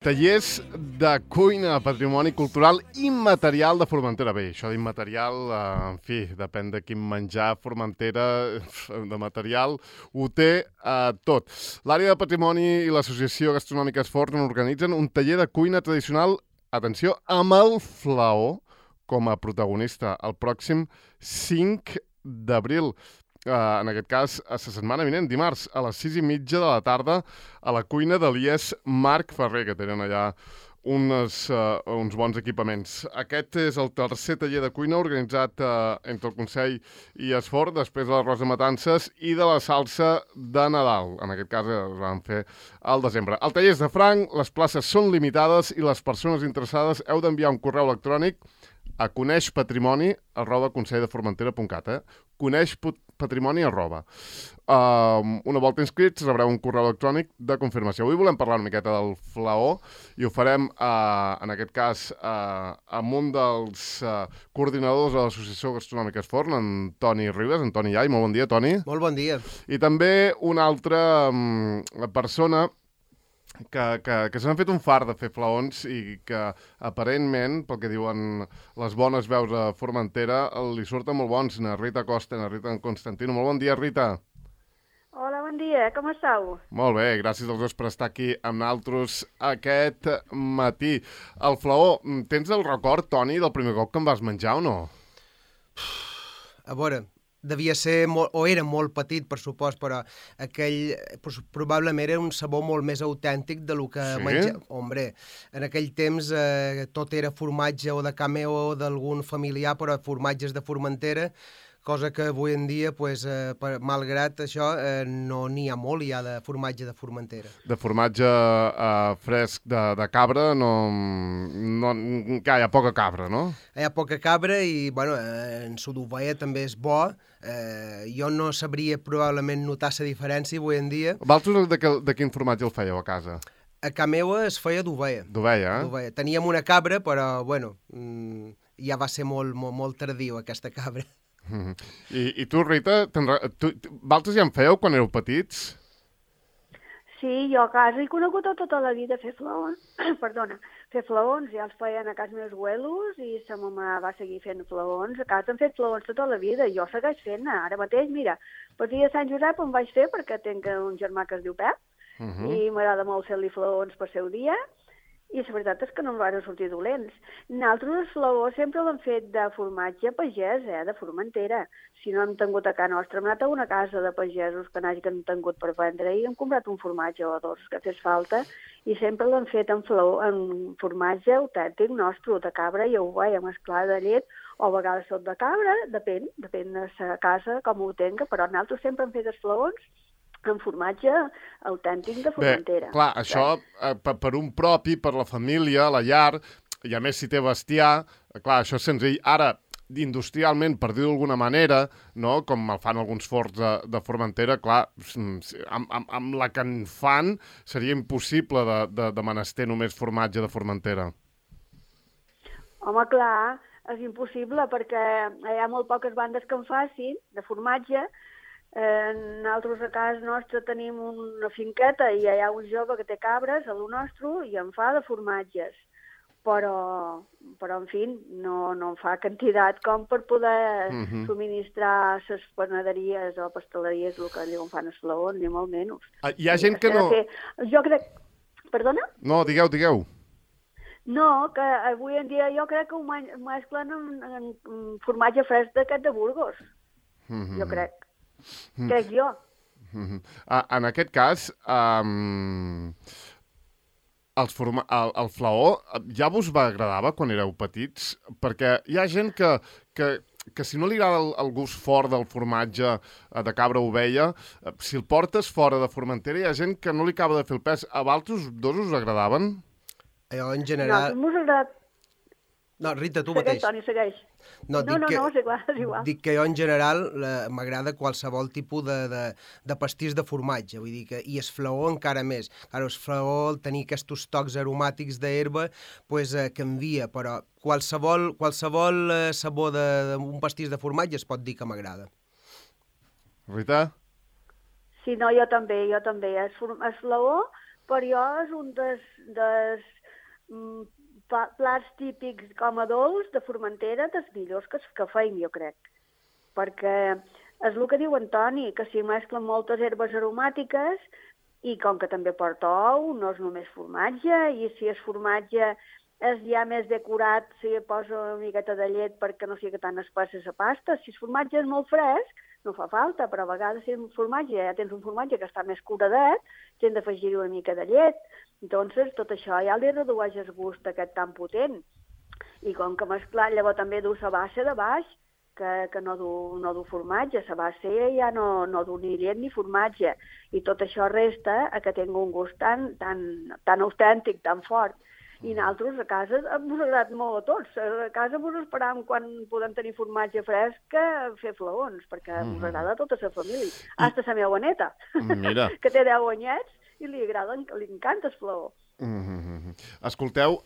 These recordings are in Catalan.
Tallers de cuina, patrimoni cultural immaterial de Formentera. Bé, això d'immaterial, en fi, depèn de quin menjar Formentera de material, ho té tot. L'àrea de patrimoni i l'Associació Gastronòmica Esforn organitzen un taller de cuina tradicional, atenció, amb el flaó com a protagonista el pròxim 5 d'abril. En aquest cas, a la setmana vinent, dimarts, a les 6:30 de la tarda, a la cuina de l'IES Marc Ferrer, que tenen allà uns bons equipaments. Aquest és el tercer taller de cuina organitzat entre el Consell i Esforn, després de l'arròs de matances i de la salsa de Nadal. En aquest cas es van fer al desembre. El taller és de franc, les places són limitades i les persones interessades heu d'enviar un correu electrònic a coneixpatrimoni@conselldeformentera.cat, coneixpatrimoni@. Una volta inscrits rebreu un correu electrònic de confirmació. Avui volem parlar una miqueta del flaó i ho farem, en aquest cas, amb un dels coordinadors de l'Associació Gastronòmica Esforn, en Toni Ribes. En Toni Iai, molt bon dia, Toni. Molt bon dia. I també una altra persona que s'han fet un fart de fer flaons i que aparentment, pel que diuen les bones veus a Formentera, li surten molt bons. Na Rita Costa, na Rita Constantino. Molt bon dia, Rita. Hola, bon dia, com esteu? Molt bé, gràcies als dos per estar aquí amb nosaltres aquest matí. El flaó, tens el record, Toni, del primer cop que em vas menjar o no? A veure, devia ser, o era molt petit, per supost, però aquell probablement era un sabor molt més autèntic de lo que menjava. Hombre, en aquell temps tot era formatge o de ca meu o d'algun familiar, però formatges de Formentera, cosa que avui en dia, pues, malgrat això, no n'hi ha molt ja de formatge de Formentera. De formatge fresc de cabra, no, hi ha poca cabra, no? Hi ha poca cabra i, bueno, en su d'ovella també és bo. Jo no sabria probablement notar la diferència avui en dia. Vosaltres de quin formatge el fèieu a casa? A ca meua es feia d'ovella. D'ovella, eh? Teníem una cabra, però, bueno, ja va ser molt tardiu aquesta cabra. I tu, Rita, vosaltres ja en fèieu quan éreu petits? Sí, jo a casa he conegut tota la vida fer flaons. Perdona, fer flaons. Ja els feien a casa meus abuelos i sa mama va seguir fent flaons. A casa han fet flaons tota la vida i jo segueix fent. Ara mateix, mira, per dia de Sant Josep em vaig fer perquè tinc un germà que es diu Pep i m'agrada molt fer-li flaons per seu dia. I la veritat és que no em van sortir dolents. Nosaltres els flaons sempre l'hem fet de formatge pagès, de Formentera. Si no hem tingut a casa nostra, hem anat a una casa de pagesos que n'hagin tingut per vendre i hem comprat un formatge o dos que fes falta i sempre l'hem fet en formatge autèntic nostre, de cabra i ovella mesclada de llet, o a vegades tot de cabra, depèn de la casa com ho tenga, però nosaltres sempre hem fet els flaons en formatge autèntic de Formentera. Bé, clar, això per un propi, per la família, la llar, i a més si té bestiar, clar, això és senzill. Ara, industrialment, per dir-ho d'alguna manera, no? Com el fan alguns forns de Formentera, clar, amb la que en fan seria impossible de menester només formatge de Formentera. Home, clar, és impossible perquè hi ha molt poques bandes que en facin de formatge. Nosaltres a casa nostra tenim una finqueta i hi ha un jove que té cabres a lo nostre i en fa de formatges. Però en fi, no en fa quantitat com per poder subministrar les panaderies o pasteleries el que allò fan els flaons, ni molt menys. Hi ha gent que no... Jo crec... Perdona? No, digueu. No, que avui en dia jo crec que ho mesclen en formatge fresc d'aquest de Burgos. Jo crec. Crec jo. En aquest cas, el flaó ja vos va agradava quan éreu petits? Perquè hi ha gent que si no li agrada el gust fort del formatge de cabra o ovella, si el portes fora de Formentera hi ha gent que no li acaba de fer el pes. A vosaltres dos us agradaven? Jo, en general... No, m'ha agradat. No, Rita, tu mateix. Segueix, Toni, segueix. No, és igual. Dic que jo en general m'agrada qualsevol tipus de pastís de formatge, vull dir que, i el flaó encara més. Clar, el flaó, al tenir aquests tocs aromàtics d'herba, pues, canvia, però qualsevol sabor d'un pastís de formatge es pot dir que m'agrada. Rita? Sí, no, jo també. El flaó per jo és un dels plats típics com a dolç de Formentera dels millors que feim, jo crec. Perquè és el que diu Antoni, que s'hi mesclen moltes herbes aromàtiques i com que també porta ou, no és només formatge, i si és formatge és ja més decorat si posa una miqueta de llet perquè no sigui tan espessa la pasta. Si el formatge és molt fresc, no fa falta, però a vegades si ja tens un formatge que està més curadet, tens d'afegir una mica de llet. Entonces, tot això ja li redueix el gust aquest tan potent. I com que mesclar, llavors també du la base de baix, que no du formatge. La base ja no du ni llet ni formatge. I tot això resta a que tingui un gust tan autèntic, tan fort. I nosaltres a casa ens ha agradat molt a tots. A casa ens esperàvem quan podem tenir formatge fresc a fer flaons, perquè ens agrada a tota la família. Hasta la meva neta, que té 10 anyets i li encanta el flaó. Escolteu,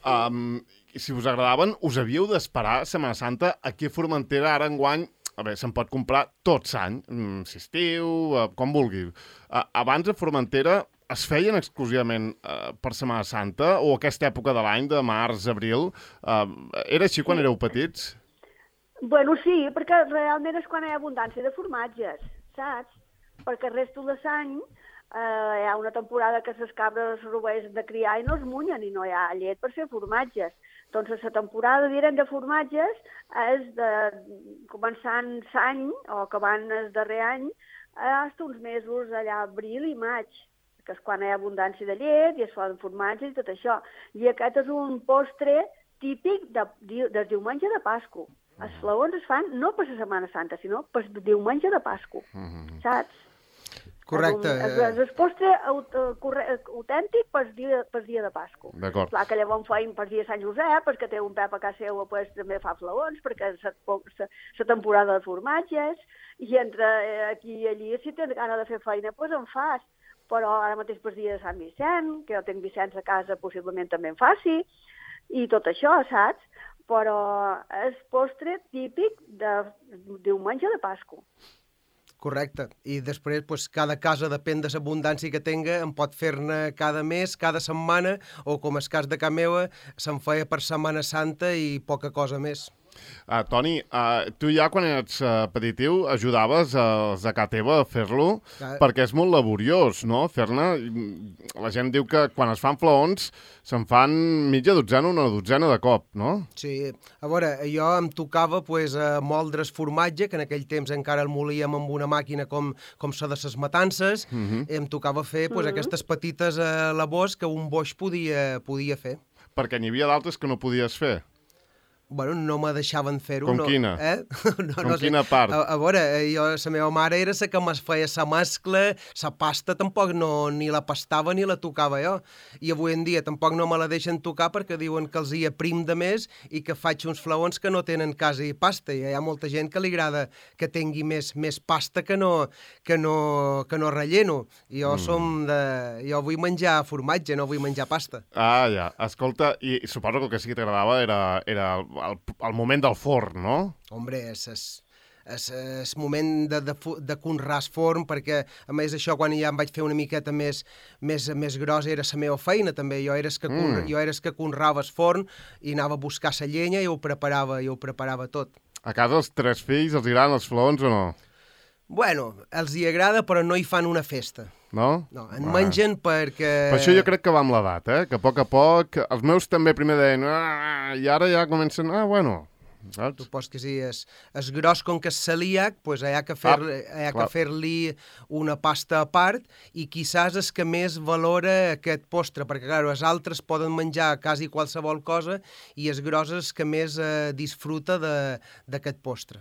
si us agradaven, us havíeu d'esperar Setmana Santa aquí a Formentera ara enguany. A veure, se'n pot comprar tot l'any, si estiu, com vulgui. Abans a Formentera es feien exclusivament per Setmana Santa o aquesta època de l'any, de març, abril? Era així quan éreu petits? Bueno, sí, perquè realment és quan hi ha abundància de formatges, saps? Perquè el resto de l'any hi ha una temporada que les cabres rovelles de criar i no es munyen i no hi ha llet per fer formatges. Doncs la temporada, direm, de formatges és començant l'any o acabant el darrer any fins uns mesos allà, abril i maig, que és quan hi ha abundància de llet i es fan formatges i tot això. I aquest és un postre típic del diumenge de Pasqua. Els flaons es fan no per la Setmana Santa, sinó per el diumenge de Pasqua, saps? Correcte. És el postre autèntic per dia de Pasqua. D'acord. Clar que llavors feim per dia de Sant Josep, perquè té un pep a casa seva, pues, també fa flaons, perquè és la temporada de formatges, i entre aquí i allí, si tens gana de fer feina, doncs en fas. Però ara mateix per dia de Sant Vicent, que jo tinc Vicenç a casa, possiblement també en faci, i tot això, saps? Però és postre típic de diumenge de Pasqua. Correcte. I després, pues, cada casa, depèn de l'abundància que tenga, en pot fer-ne cada mes, cada setmana, o com el cas de casa meva, se'n feia per Setmana Santa i poca cosa més. Toni, tu ja quan eres petitiu ajudaves els de casa teva a fer-lo, perquè és molt laboriós, no?, fer-ne. La gent diu que quan es fan flaons se'n fan mitja dotzena, una dotzena de cop, no? Sí, a veure, jo em tocava pues, moldre el formatge, que en aquell temps encara el molíem amb una màquina com la de les matances, em tocava fer pues, aquestes petites labors que un boix podia fer. Perquè n'hi havia d'altres que no podies fer. Bueno, no me deixaven fer-ho. Com quina? Com quina part? A veure, la meva mare era la que me feia la mescla, la pasta tampoc ni la pastava ni la tocava jo. I avui en dia tampoc no me la deixen tocar perquè diuen que els hi aprim de més i que faig uns flaons que no tenen quasi pasta. I hi ha molta gent que li agrada que tingui més pasta que no relleno. I jo vull menjar formatge, no vull menjar pasta. Ah, ja. Escolta, i suposo que el que sí que t'agradava era el moment del forn, no? Hombre, és moment de conrar el forn, perquè a més això quan ja em vaig fer una miqueta més grossa era la meva feina també. Jo era el que conrava el forn i anava a buscar la llenya i ho preparava tot. A casa els 3 fills els agraden els flaons o no? Bueno, els hi agrada però no hi fan una festa. No? No, en mengen perquè... Per això jo crec que va amb l'edat, que a poc els meus també primer deien i ara ja comencen, bueno, saps? Supos que sí, és gros com que és celíac, doncs hi ha que fer-li una pasta a part i quizás és que més valora aquest postre, perquè clar, els altres poden menjar quasi qualsevol cosa i és gros és que més disfruta d'aquest postre.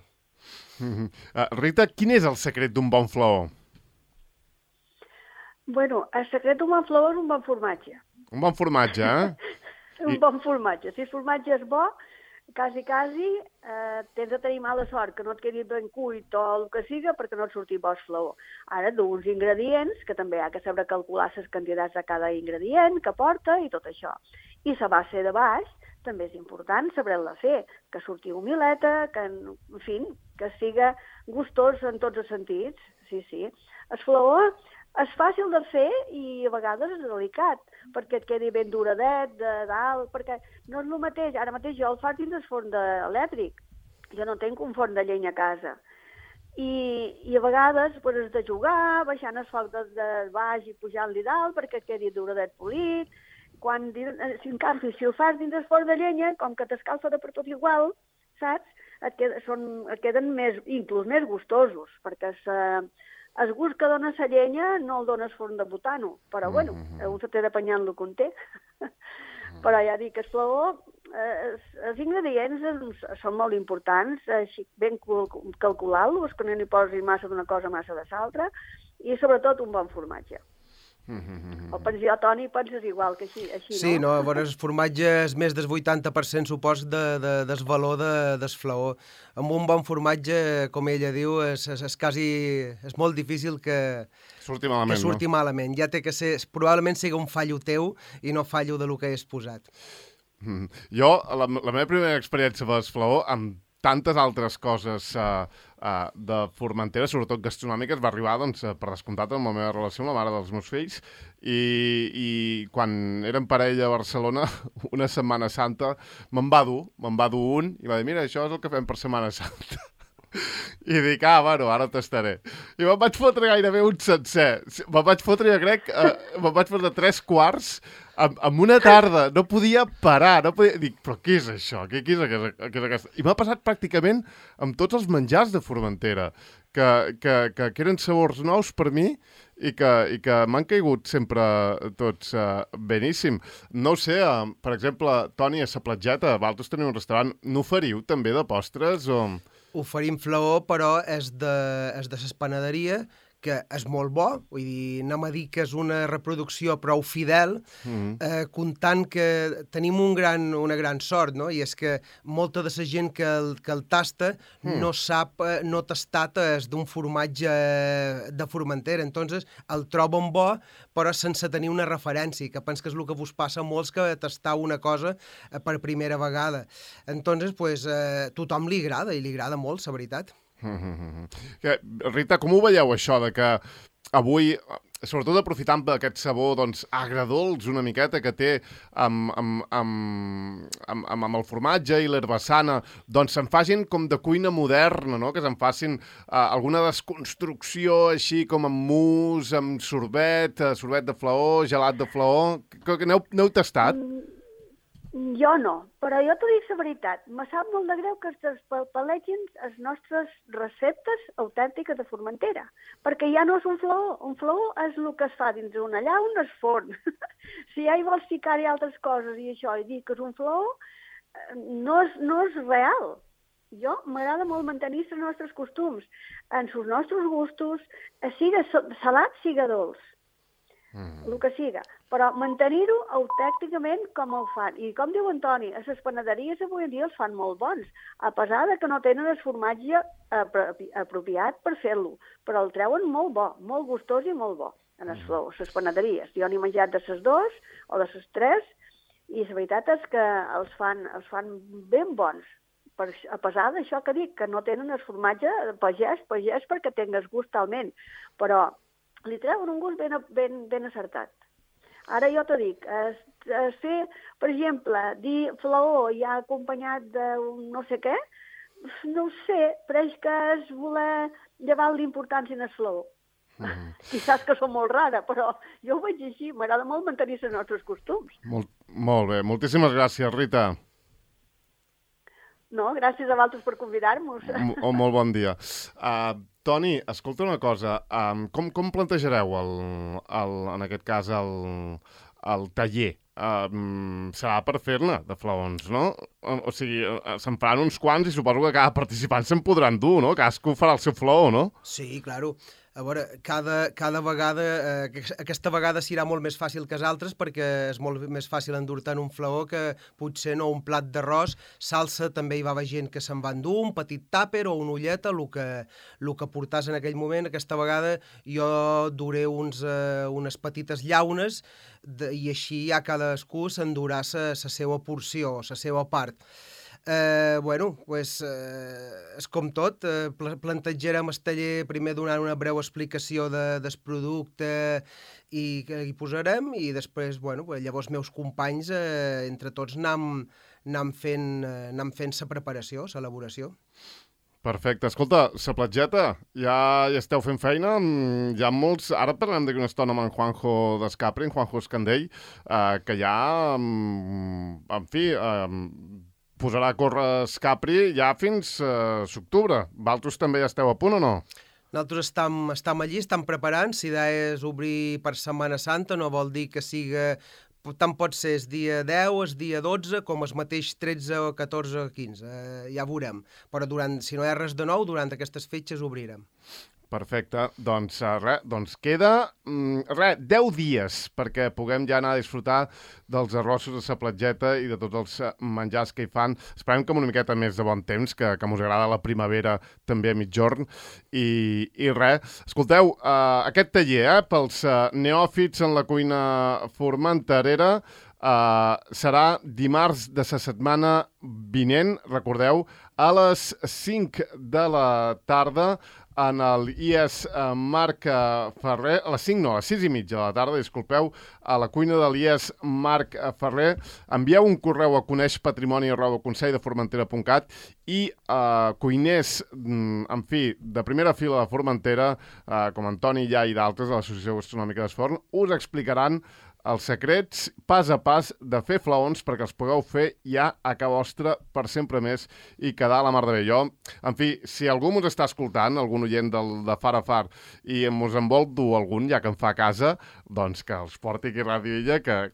Rita, quin és el secret d'un bon flaó? Bueno, el secret d'un bon flaó és un bon formatge. Un bon formatge, Un bon formatge. Si el formatge és bo, quasi, tens de tenir mala sort, que no et quedi ben cuit o el que siga, perquè no et surti bo el flaó. Ara, d'uns ingredients, que també hi ha que saber calcular les quantitats de cada ingredient que porta i tot això. I la base de baix també és important saber-la fer, que surti humileta, que, en fi, que siga gustós en tots els sentits. Sí. El flaó és fàcil de fer i a vegades és delicat, perquè et quedi ben duradet de dalt, perquè no és el mateix. Ara mateix jo el faig dins el forn elèctric. Jo no tinc un forn de llenya a casa. I a vegades pues, has de jugar, baixant el foc de baix i pujant-li dalt perquè et quedi duradet polit. En canvi, si ho fas dins el forn de llenya, com que t'escalfa de per tot igual, saps? Et queden inclús més gustosos, perquè el gust que dona la llenya no el dona el forn de butano, però bueno, un se té d'apanyar el que en té. Però ja dic, el flaó, els ingredients són molt importants, així ben calcular-los, que no n'hi posis massa d'una cosa, massa de l'altra, i sobretot un bon formatge. O penso jo, Toni, penses igual que així, sí, no? No, a veure, el formatge és més del 80%, supos, del valor del flaó. Amb un bon formatge, com ella diu, és molt difícil que surti malament. Ja té que ser, probablement sigui un fallo teu i no fallo de lo que has posat. Jo, la meva primera experiència amb el flaó, amb tantes altres coses de Formentera, sobretot gastronòmiques, va arribar, doncs, per descomptat, amb la meva relació amb la mare dels meus fills, i quan érem parella a Barcelona, una Setmana Santa, me'n va dur un, i va dir, mira, això és el que fem per Setmana Santa. I dic, bueno, ara tastaré. I me'n vaig fotre gairebé un sencer. Me'n vaig fotre, jo crec, me'n vaig fotre 3 quarts en una tarda. No podia parar. Dic, però què és això? Què és aquesta? I m'ha passat pràcticament amb tots els menjars de Formentera, que eren sabors nous per mi i que m'han caigut sempre tots beníssim. No ho sé, per exemple, Toni, a la platgeta, vosaltres teniu un restaurant, n'oferiu també de postres o... Oferim flaó, però és de les panaderia, que és molt bo, vull dir, anem a dir que és una reproducció prou fidel, comptant que tenim una gran sort, no? I és que molta de la gent que el tasta no sap, no ha tastat d'un formatge de Formentera, entonces el troben bo, però sense tenir una referència, que penso que és el que vos passa a molts que tastar una cosa per primera vegada. Entonces, pues, tothom li agrada, i li agrada molt, la veritat. Rita, com ho veieu això de que avui, sobretot aprofitant aquest sabor doncs, agredolç una miqueta que té amb el formatge i l'herbassana, doncs se'n facin com de cuina moderna, no? Que se'n facin alguna desconstrucció així com amb mousse, amb sorbet de flaó, gelat de flaó... N'heu tastat? Jo no, però jo t'ho dic la veritat. Me sap molt de greu que es palegin les nostres receptes autèntiques de Formentera, perquè ja no és un flaó. Un flaó és el que es fa dins una llauna, es forn. Si ja hi vols ficar-hi altres coses i això, i dir que és un flaó, no és real. Jo m'agrada molt mantenir els nostres costums, en els nostres gustos, siga salat, siga dolç. El que siga, però mantenir-ho autènticament com ho fan. I com diu Antoni, a les panaderies avui en dia els fan molt bons, a pesar de que no tenen el formatge apropiat per fer-lo, però el treuen molt bo, molt gustós i molt bo, en les panaderies. Jo n'he menjat de les 2 o de les 3, i la veritat és que els fan ben bons, a pesar d'això que dic, que no tenen el formatge pagès perquè tingues gust talment, però li treuen un gust ben acertat. Ara jo t'ho dic, fer, per exemple, dir flaó ja acompanyat d'un no sé què, no ho sé, pareix que és voler llevar l'importància en el flaó. I saps que som molt rara, però jo ho veig així, m'agrada molt mantenir els nostres costums. Molt bé, moltíssimes gràcies, Rita. No, gràcies a vosaltres per convidar-nos. Molt bon dia. Toni, escolta una cosa, com plantejareu, en aquest cas, el taller? Serà per fer-ne, de flaons, no? O sigui, se'n faran uns quants i suposo que cada participant se'n podran dur, no? Cadascú farà el seu flaó, no? Sí, claro. A veure, cada vegada, aquesta vegada serà molt més fàcil que les altres perquè és molt més fàcil endur-te en un flaó que potser no un plat d'arròs. Salsa també hi va haver gent que se'n va endur, un petit tàper o una ulleta, el que portàs en aquell moment. Aquesta vegada jo duré unes petites llaunes i així ja cadascú s'endurà la seva porció, la seva part. És com tot, plantejarem el taller primer donant una breu explicació del producte i que hi posarem, i després, llavors meus companys, entre tots, anam fent la preparació, l'elaboració. Perfecte. Escolta, la platgeta, ja esteu fent feina? Hi ha molts... Ara parlem d'aquí una estona amb en Juanjo d'Escapri, en Juanjo Escandell, que ja, en fi, posarà a córrer Escapri ja fins l'octubre. Vosaltres també ja esteu a punt o no? Nosaltres estem allí, estem preparant. La idea és obrir per Setmana Santa, no vol dir que siga... Tant pot ser el dia 10, el dia 12, com el mateix 13, 14 o 15. Ja veurem. Però si no hi ha res de nou, durant aquestes fetges obrirem. Perfecte. Doncs queda 10 dies perquè puguem ja anar a disfrutar dels arrossos de la platgeta i de tots els menjars que hi fan. Esperem que amb una miqueta més de bon temps, que us agrada la primavera també a mitjorn. I escolteu, aquest taller, pels neòfits en la cuina formenterera, serà dimarts de la setmana vinent, recordeu, a les 5 de la tarda, en el IES Marc Ferrer, a les 5 no, a les 6 i mitja de la tarda, disculpeu, a la cuina de l'IES Marc Ferrer. Envieu un correu a coneix-patrimoni@conselldeformentera.cat i cuiners, en fi, de primera fila de Formentera, com Antoni Llà i d'altres de l'Associació Gastronòmica d'Esforn, us explicaran els secrets pas a pas de fer flaons perquè els pugueu fer ja a casa vostra per sempre més i quedar a la mar de bé. Jo, en fi, si algú ens està escoltant, algun oient de Far a Far, i ens en vol dur algun, ja que en fa a casa, doncs que els porti aquí a Ràdio Illa, que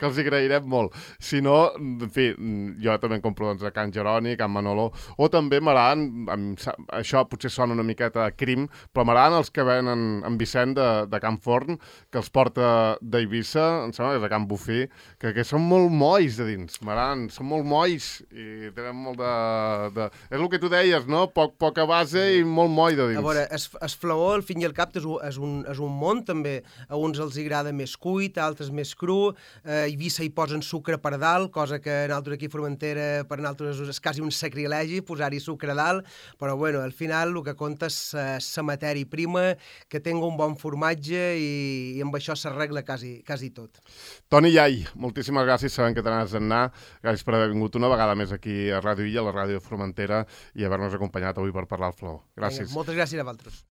els agrairem molt. Si no, en fi, jo també en compro a Can Jeroni, Can Manolo, o també m'agraden, això potser sona una miqueta de crim, però m'agraden els que venen en Vicent de Can Forn, que els porta d'Eivissa, em sembla que és de Can Bufí, que són molt molls de dins, m'agraden, són molt molls i tenen molt de... És el que tu deies, no? Poca base i molt moll de dins. A veure, el flaó, al fin i al cap, és un món, també. A uns els agrada més cuit, a altres més cru. A Eivissa hi posen sucre per dalt, cosa que nosaltres aquí a Formentera, per nosaltres és quasi un sacrilegi posar-hi sucre a dalt, però al final el que compta és la matèria prima, que tingui un bon formatge i amb això s'arregla quasi tot. Toni Llai, moltíssimes gràcies, sabem que te n'has d'anar. Gràcies per haver vingut una vegada més aquí a Ràdio Illa, a la ràdio de Formentera, i haver-nos acompanyat avui per parlar al Flaó. Gràcies. Moltes gràcies a vosaltres.